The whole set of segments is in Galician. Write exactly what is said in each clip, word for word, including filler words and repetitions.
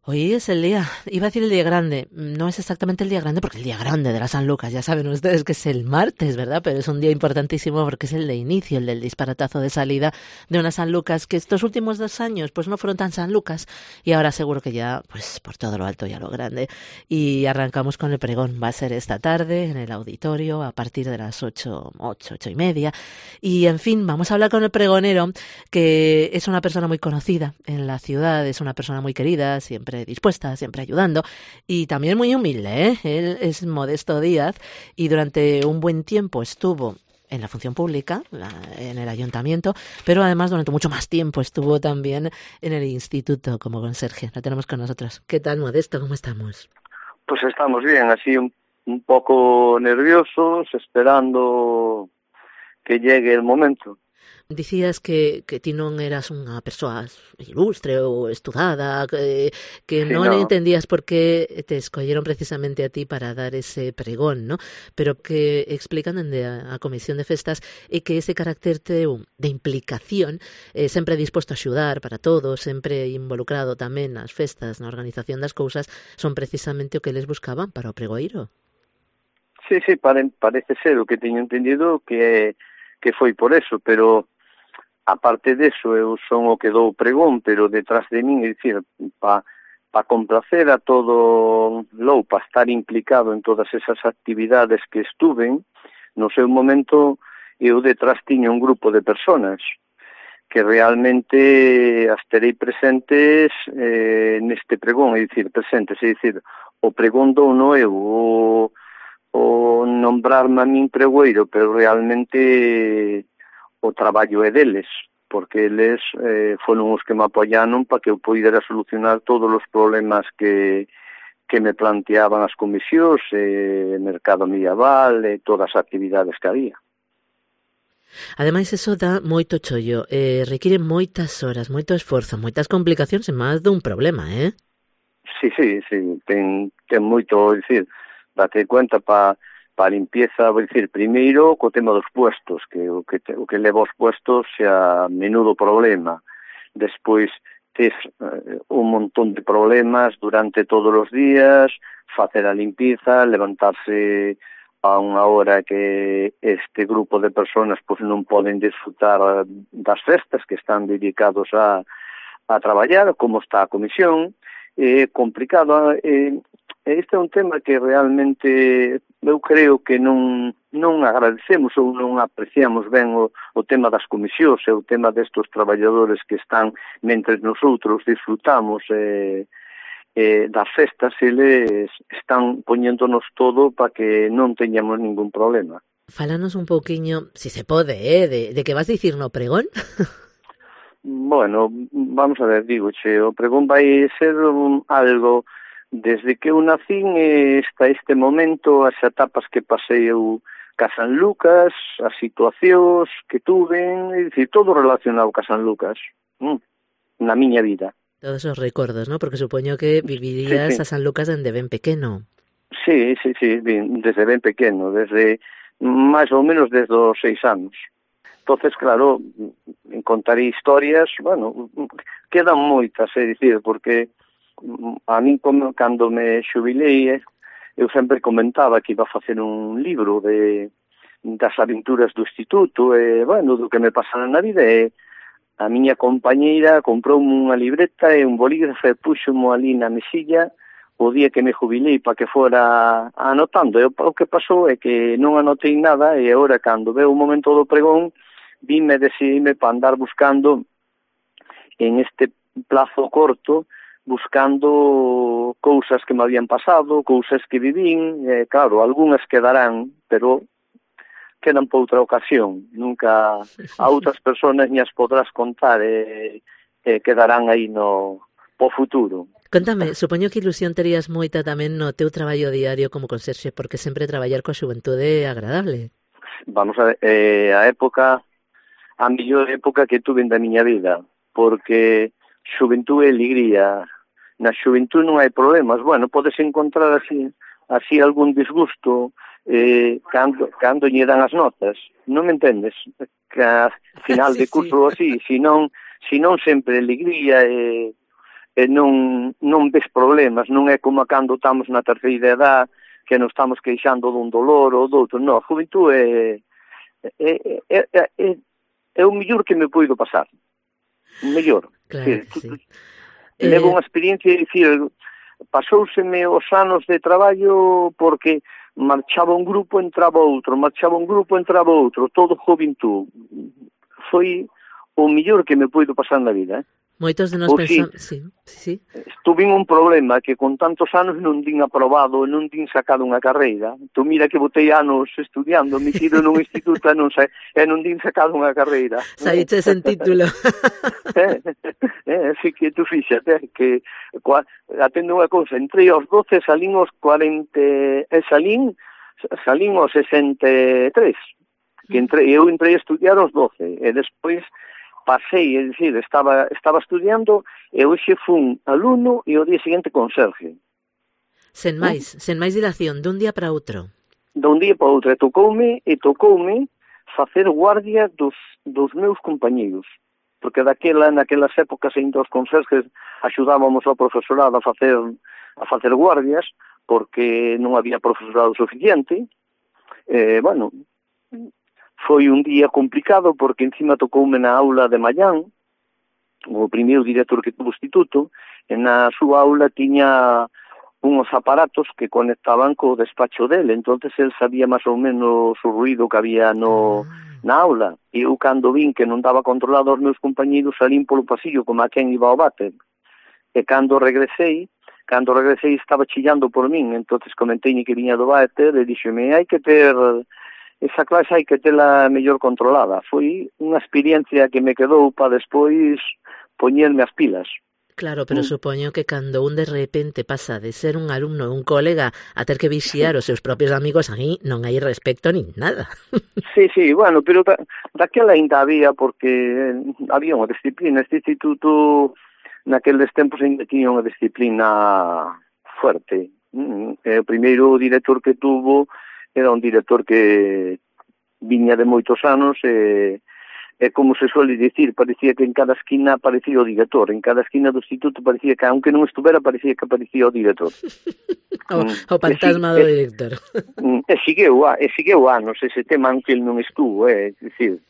Hoy es el día, iba a decir el día grande, no es exactamente el día grande porque el día grande de la San Lucas, ya saben ustedes que es el martes, ¿verdad? Pero es un día importantísimo porque es el de inicio, el del disparatazo de salida de una San Lucas que estos últimos dos años pues no fueron tan San Lucas y ahora seguro que ya pues por todo lo alto y a lo grande. Y arrancamos con el pregón, va a ser esta tarde en el auditorio a partir de las ocho, ocho, ocho y media y en fin, vamos a hablar con el pregonero que es una persona muy conocida en la ciudad, es una persona muy querida, siempre dispuesta, siempre ayudando y también muy humilde, ¿eh? Él es Modesto Díaz y durante un buen tiempo estuvo en la función pública, la, en el ayuntamiento, pero además durante mucho más tiempo estuvo también en el instituto como conserje. Lo tenemos con nosotros. ¿Qué tal, Modesto? ¿Cómo estamos? Pues estamos bien, así un, un poco nerviosos, esperando que llegue el momento. Dicías que, que ti non eras unha persoa ilustre ou estudada, que, que Sí, non no. entendías por qué te escolleron precisamente a ti para dar ese pregón, ¿no? Pero que explican dende a, a Comisión de Festas e que ese carácter teu de implicación, eh, sempre disposto a axudar para todos, sempre involucrado tamén nas festas, na organización das cousas, son precisamente o que les buscaban para o pregoeiro. Sí, sí, pare, parece ser o que teño entendido que que foi por eso, pero aparte deso, eu son o que dou o pregón, pero detrás de min, é dicir, pa, pa complacer a todo lou, pa estar implicado en todas esas actividades que estuven, no seu momento eu detrás tiño un grupo de personas que realmente as terei presentes eh, neste pregón, é dicir, presentes, é dicir, o pregón dou no eu, o, o nombrarme a min pregoeiro, pero realmente o traballo é deles, porque eles eh, foron os que me apoyaron para que eu pudera solucionar todos os problemas que, que me planteaban as comisións, eh, mercado medieval, e eh, todas as actividades que había. Ademais, eso dá moito chollo, eh, requiere moitas horas, moito esforzo, moitas complicacións e máis dun problema, eh? Sí, sí, sí, ten, ten moito, é dicir, date cuenta para pa limpieza, vou dicir, primeiro co tema dos puestos, que o que, te, o que leva os puestos xa menudo problema. Despois tes eh, un montón de problemas durante todos os días, facer a limpieza, levantarse a unha hora que este grupo de personas pois non poden disfrutar das festas que están dedicados a, a traballar, como está a comisión, é complicado, eh, este é un tema que realmente eu creo que non non agradecemos ou non apreciamos ben o, o tema das comisións e o tema destos traballadores que están mentre nosotros disfrutamos eh, eh, das festas, eles están poñéndonos todo para que non teñamos ningún problema. Fálanos un pouquiño, si se pode, eh, de, de que vas dicir no pregón? Bueno, vamos a ver, digo, che, o pregón vai ser un, algo desde que eu nacín hasta este momento, as etapas que pasei eu ca San Lucas, as situacións que tuven, é dicir, todo relacionado ca San Lucas, mm, na miña vida. Todos os recordos, ¿no? Porque supoño que vivirías sí, sí. a San Lucas dende ben pequeno. Sí, sí, sí, ben, desde ben pequeno, desde máis ou menos desde os seis anos. Entonces, claro, contaré historias, bueno, quedan moitas, é dicir, porque a mí, como, cando me xubilei, eu sempre comentaba que iba a facer un libro de das aventuras do instituto, e, bueno, do que me pasara na vida, e a miña compañeira comprou unha libreta e un bolígrafo e puxo-mo ali na mesilla o día que me jubilei para que fora anotando. E o que pasou é que non anotei nada, e agora, cando veo o momento do pregón, vime decidime para andar buscando en este plazo corto, buscando cousas que me habían pasado, cousas que vivín, eh, claro, algunhas quedarán, pero quedan por outra ocasión. Nunca a outras persoas ni as podrás contar e eh, eh, quedarán aí no po futuro. Contame, supoño que ilusión terías moita tamén no teu traballo diario como conserxe, porque sempre traballar coa xuventude é agradable. Vamos a ver, eh, a época, a mellor época que tuve da miña vida, porque xuventude e alegría. Na xuventude non hai problemas. Bueno, podes encontrar así así algún disgusto eh, cando, cando lle dan as notas. Non me entendes? Que a final sí, de curso sí. así, si non, si non sempre alegría e, e non, non ves problemas, non é como cando estamos na terceira edad, que nos estamos queixando dun dolor ou doutro. Non, a juventude é, é, é, é, é, é o mellor que me poido pasar. O mellor. Claro que sí. Levo Eh... unha experiencia, dicir, pasóuseme os anos de traballo porque marchaba un grupo, entraba outro, marchaba un grupo, entraba outro, todo juventud. Foi o mellor que me poido pasar na vida, eh? Moitos de nós pensamos... Sí, sí, sí. Tuve un problema que con tantos anos non din aprobado, non din sacado unha carreira. Tu mira que botei anos estudiando, me tiro nun instituto e non, sa... e non din sacado unha carreira. Saíches en título. eh, eh, así que tú fíxate que atendo unha cousa, entre os doce salín os cuarenta e salín salín os sesenta e tres, que entre, eu entrei a estudiar os doce e despois pasei, é dicir, estaba estaba estudiando e hoxe fun alumno e o día seguinte conserje. Sen máis, ¿Mm? sen máis dilación, dun día para outro. Dun día para outro, e tocoume, e tocoume facer guardia dos, dos meus compañeiros, porque daquela, naquelas épocas, ainda os conserjes axudábamos ao profesorado a facer a facer guardias, porque non había profesorado suficiente. Eh, bueno, foi un día complicado porque encima tocoume na aula de Mallán, o primeiro director que tuvo o instituto, e na súa aula tiña unhos aparatos que conectaban co despacho dele, entonces el sabía máis ou menos o ruido que había no, na aula, e eu cando vin que non daba controlado aos meus compañeros salín polo pasillo como a quen iba ao váter, e cando regresei, cando regresei estaba chillando por min, entonces comentei que viña do váter e díxome, hai que ter... esa clase hai que tela mellor controlada. Foi unha experiencia que me quedou para despois poñerme as pilas. Claro, pero mm. supoño que cando un de repente pasa de ser un alumno ou un colega a ter que vixiar os seus propios amigos, aí non hai respecto nin nada. Sí, sí, bueno, pero da, daquela ainda había, porque había unha disciplina. Este instituto, naqueles tempos, ainda tiña unha disciplina fuerte. Mm. O primeiro director que tuvo era un director que viña de moitos anos e, e como se suele dicir, parecía que en cada esquina aparecía o director, en cada esquina do instituto parecía que, aunque non estuvera, parecía que aparecía o director. o, mm, o fantasma do director. E sigueu, e sigueu anos ese tema, aunque ele non estuvo, é dicir,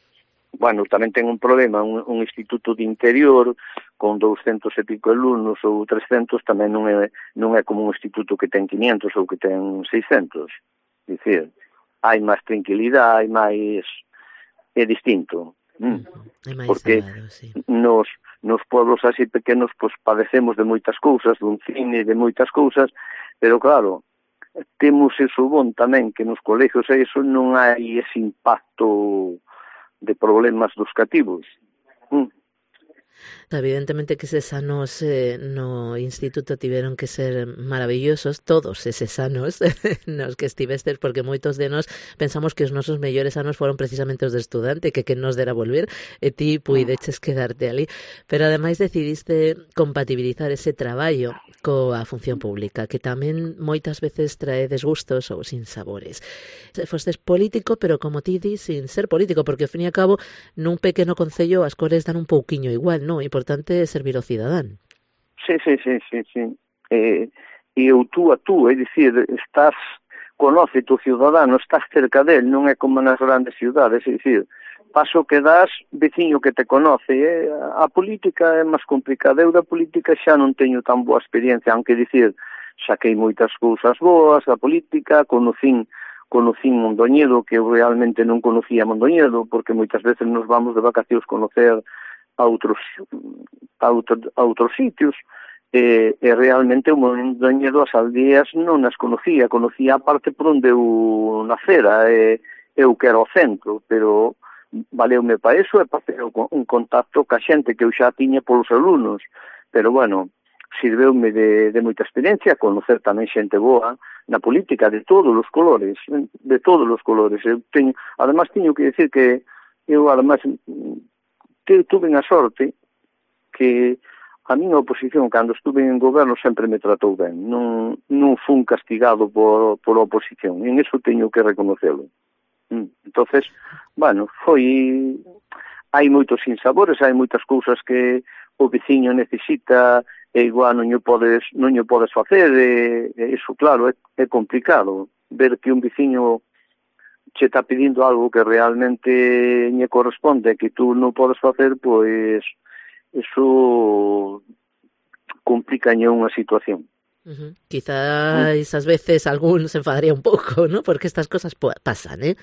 bueno, tamén ten un problema, un, un instituto de interior con douscentos e pico alumnos ou trescentos, tamén non é, non é como un instituto que ten quinientos ou que ten seiscentos. Dicir, hai máis tranquilidade, hai máis... é distinto. Mm. É máis porque salado, sí. nos, nos pueblos así pequenos pues, padecemos de moitas cousas, dun cine, de moitas cousas, pero claro, temos eso bon tamén, que nos colegios e iso non hai ese impacto de problemas dos cativos. Mm. Evidentemente que eses anos eh, no instituto tiveron que ser maravillosos, todos eses anos nos que estivestes, porque moitos de nós pensamos que os nosos mellores anos foron precisamente os de estudante, que que nos dera volver, e ti puideches quedarte ali. Pero ademais decidiste compatibilizar ese traballo coa función pública, que tamén moitas veces trae desgustos ou sinsabores. Fostes político, pero como ti dis, sin ser político, porque ao fin e ao cabo nun pequeno concello as cores dan un pouquiño igual, non? O importante é servir ao cidadán. Sí, sí, sí, sí, sí. Eh, e o tú a tú, é dicir, estás, conoce tu ciudadano, estás cerca del, non é como nas grandes ciudades, é dicir, paso que das, veciño que te conoce, eh? A política é máis complicada, eu da política xa non teño tan boa experiencia, aunque dicir, saquei moitas cousas boas da política, conocín conocín Mondoñedo, que eu realmente non conocía Mondoñedo, porque moitas veces nos vamos de vacacións conocer a outros a, outro, a outros sitios e, e realmente o Mondoñedo as aldeas non as conocía, conocía a parte por onde eu nacera e eu que era o centro, pero valeume para eso e para ter un contacto ca xente que eu xa tiña polos alumnos, pero bueno, sirveume de, de moita experiencia, conocer tamén xente boa na política de todos os colores, de todos os colores. Eu teño, además teño que decir que eu además tuve a sorte que a minha oposición, cando estuve en goberno, sempre me tratou ben. Non, non fun castigado por, por oposición. En eso teño que reconocelo. Entonces, bueno, foi... Hai moitos sinsabores, hai moitas cousas que o veciño necesita e igual non o podes, non o podes facer, e, e iso, claro, é, é complicado, ver que un veciño che está pedindo algo que realmente lle corresponde, que tú non podes facer, pois, iso complicañe unha situación. Uh-huh. Quizás ás veces algún se enfadaría un pouco, ¿no? Porque estas cosas pasan, ¿eh?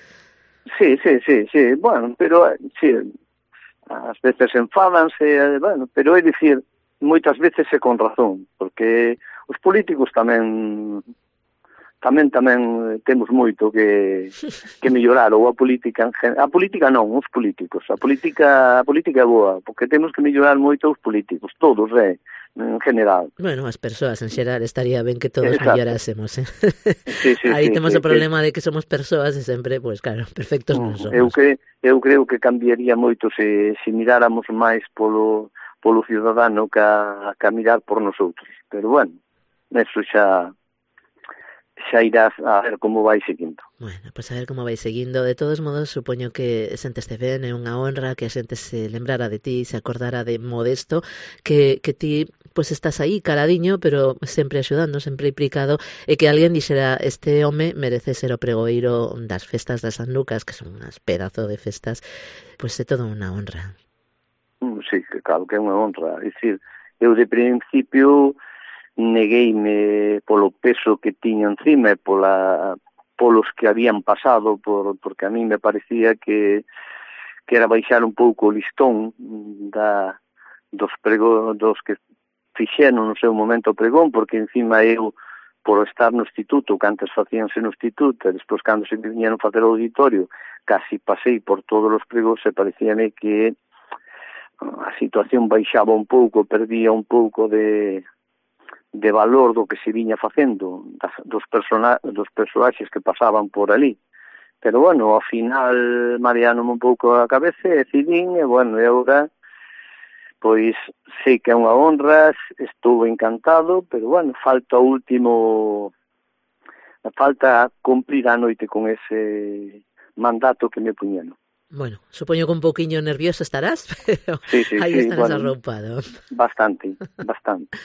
Sí, sí, sí, sí, bueno, pero, sí, ás veces enfádanse, bueno, pero é dicir, moitas veces é con razón, porque os políticos tamén tamén tamén temos moito que que mellorar, ou a política en gen... a política non, os políticos, a política a política é boa, porque temos que mellorar moito os políticos, todos, eh, en general. Bueno, as persoas en xeral estaría ben que todos Exacto. mellorásemos, eh? Sí, sí, aí sí, temos sí, o problema que... de que somos persoas e sempre, pois pues, claro, perfectos non somos. Eu, cre... eu creo que cambiaría moito se, se miráramos máis polo polo ciudadano que a, que a mirar por nosotros. Pero bueno, eso xa xa irás a ver como vai seguindo. Bueno, pois pues a ver como vai seguindo. De todos modos, supoño que senteste ben, é unha honra que a xente se lembrara de ti, se acordara de Modesto, que, que ti pois pues estás aí caladiño, pero sempre axudando, sempre implicado, e que alguén dixera, este home merece ser o pregoeiro das festas de San Lucas, que son unhas pedazo de festas, pois pues é todo unha honra. Sí, que claro que é unha honra. É dicir, eu de principio negueime polo peso que tiña encima e pola, polos que habían pasado, por, porque a mí me parecía que, que era baixar un pouco o listón da, dos pregón, dos que fixeron no seu momento o pregón, porque encima eu, por estar no instituto, que antes facíanse no instituto, e despois cando se viñeron facer o auditorio, casi pasei por todos os pregóns e parecíame que a situación baixaba un pouco, perdía un pouco de, de valor do que se viña facendo, das, dos, persona, dos personaxes que pasaban por ali. Pero, bueno, ao final, mareándome un pouco a cabeza, decidín, e, bueno, e agora, pois, sei que é unha honra, estou encantado, pero, bueno, falta o último, falta cumplir a noite con ese mandato que me puñeron. Bueno, supoño que un pouquiño nervioso estarás, pero sí, sí, aí sí, estarás bueno, arroupado. Bastante, bastante.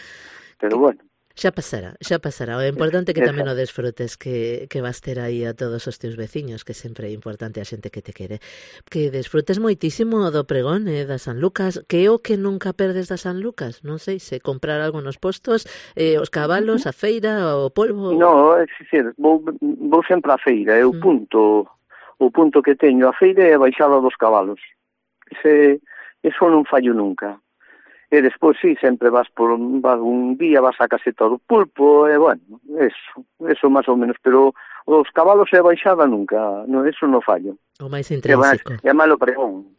Pero bueno. Xa pasará, xa pasará. O importante é que tamén o desfrutes, que, que vas ter aí a todos os teus veciños, que sempre é importante a xente que te quere. Que desfrutes moitísimo do pregón eh, da San Lucas, que é o que nunca perdes da San Lucas. Non sei, se comprar algo nos postos, eh, os cabalos, a feira, o polvo... No, é dicir, vou, vou sempre á feira, é o mm. punto... O punto que teño a feira é a baixada dos cabalos. Ese, eso non fallo nunca. E despois, sí, sempre vas por vas un día, vas a caseta do pulpo, e, bueno, eso, eso máis ou menos. Pero os cabalos e a baixada nunca, no, eso non fallo. O máis intrínseco. É máis o pregón.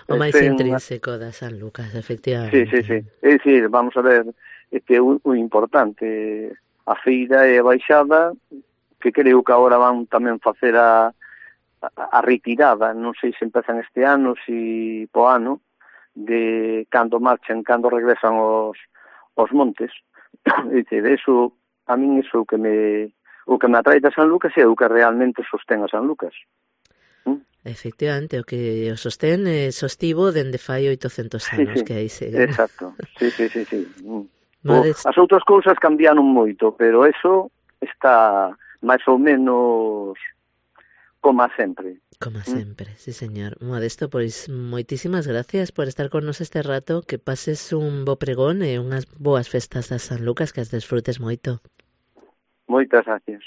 O máis intrínseco da San Lucas, efectivamente. Sí, sí, sí. É dicir, vamos a ver, é que o, o importante, a feira e a baixada, que creo que agora van tamén facer a a retirada, non sei se empezan este ano, se po ano, de cando marchan, cando regresan os, os montes. Dice, eso, a min iso o que me o que me atrae da San Lucas é o que realmente sostén a San Lucas. ¿Mm? Efectivamente, o que o sostén é sostivo dende fai oitocentos anos, sí, sí. Que aí se... Exacto, sí, sí, sí, sí. Mades... As outras cousas cambiaron moito, pero eso está máis ou menos... Como sempre. Como sempre, ¿Mm? Sí, señor. Modesto, pois moitísimas gracias por estar con nos este rato, que pases un bo pregón e unhas boas festas da San Lucas, que as desfrutes moito. Moitas gracias.